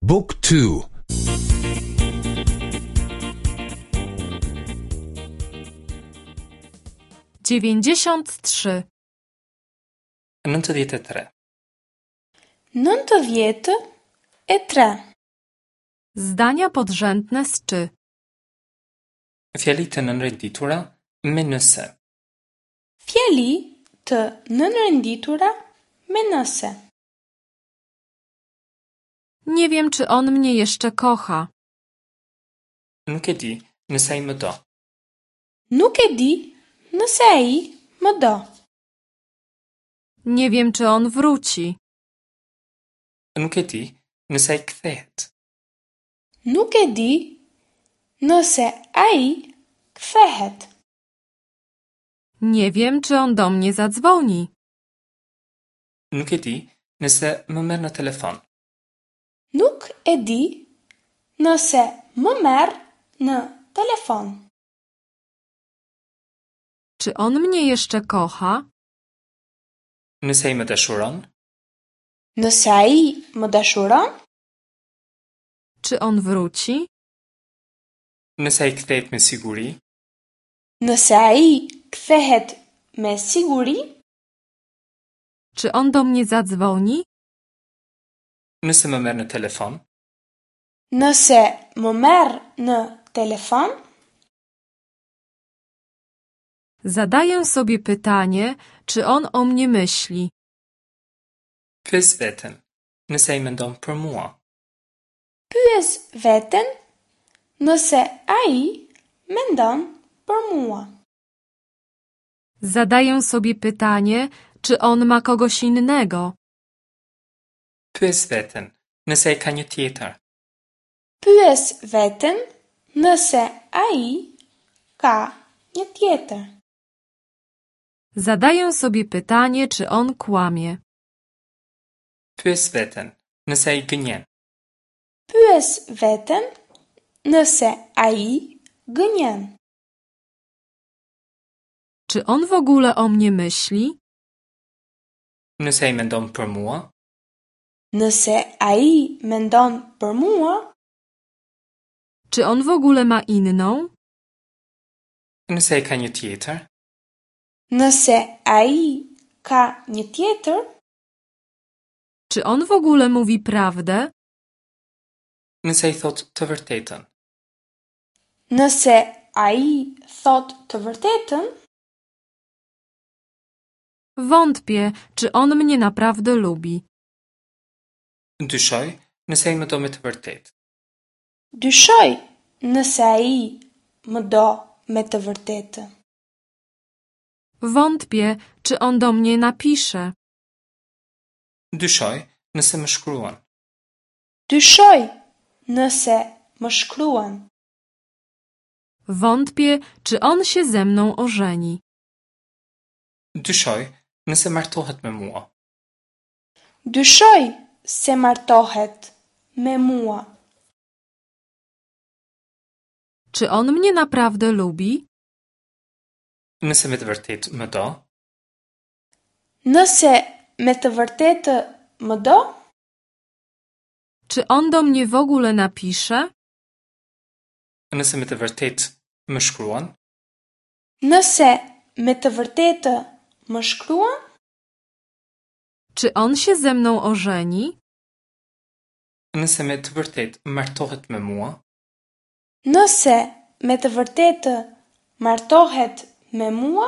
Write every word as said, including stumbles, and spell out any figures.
Book two. Dziewięćdziesiąt trzy. Nëntëdhjetë e tre. Nëntëdhjetë e tre. Zdania podrzędne z czy. Fjali të nënrenditura me nëse. Fjali të nënrenditura me nëse. Nie wiem, czy on mnie jeszcze kocha. Nuk e di nëse ai më do. Nuk e di nëse ai më do. Nie wiem, czy on wróci. Nuk e di nëse ai kthehet. Nuk e di nëse ai kthehet. Nie wiem, czy on do mnie zadzwoni. Nuk e di nëse më merr në telefon. Nuk e di nëse më merr në telefon. Czy on mnie jeszcze kocha? Nëse ai më dashuron? Nëse ai më dashuron? Czy on wróci? Nëse ai kthehet me siguri? Nëse ai kthehet me siguri? Czy on do mnie zadzwoni? Nëse më merr në telefon? Nëse më merr në telefon? Zadaję sobie pytanie, czy on o mnie myśli. Pyes veten, nëse ai mendon për mua. Pyes veten nëse ai mendon për mua. Zadaję sobie pytanie, czy on ma kogoś innego. Pyes veten, nëse ai ka një tjetër. Pyes veten nëse ai ka një tjetër. Zadaję sobie pytanie, czy on kłamie. Pyes veten, nëse ai gënjen. Pyes veten nëse ai gënjen. Czy on w ogóle o mnie myśli? Nëse ai mendon për mua? Nëse ai mendon për mua? Czy on w ogóle ma inną? Nëse ai ka një tjetër? Nëse ai ka një tjetër? Czy on w ogóle mówi prawdę? Nëse ai thotë të vërtetën. Nëse ai thotë të vërtetën? Wątpię, czy on mnie naprawdę lubi. Dyshoj nëse ai më do me të vërtetë. Dyshoj nëse ai më do me të vërtetë. Wątpię, czy on do mnie napisze. Dyshoj nëse më shkruan. Dyshoj nëse më shkruan. Wątpię, czy on się ze mną ożeni. Dyshoj nëse martohet me mua. Dyshoj se martohet me mua. Czy on mnie naprawdę lubi? Nëse me të vërtetë më do? Nëse me të vërtetë më do? Czy on do mnie w ogóle napisze? Nëse me të vërtetë më shkruan? Nëse me të vërtetë më shkruan? Czy on się ze mną ożeni? Nëse me të vërtetë martohet me mua? Nëse me të vërtetë martohet me mua?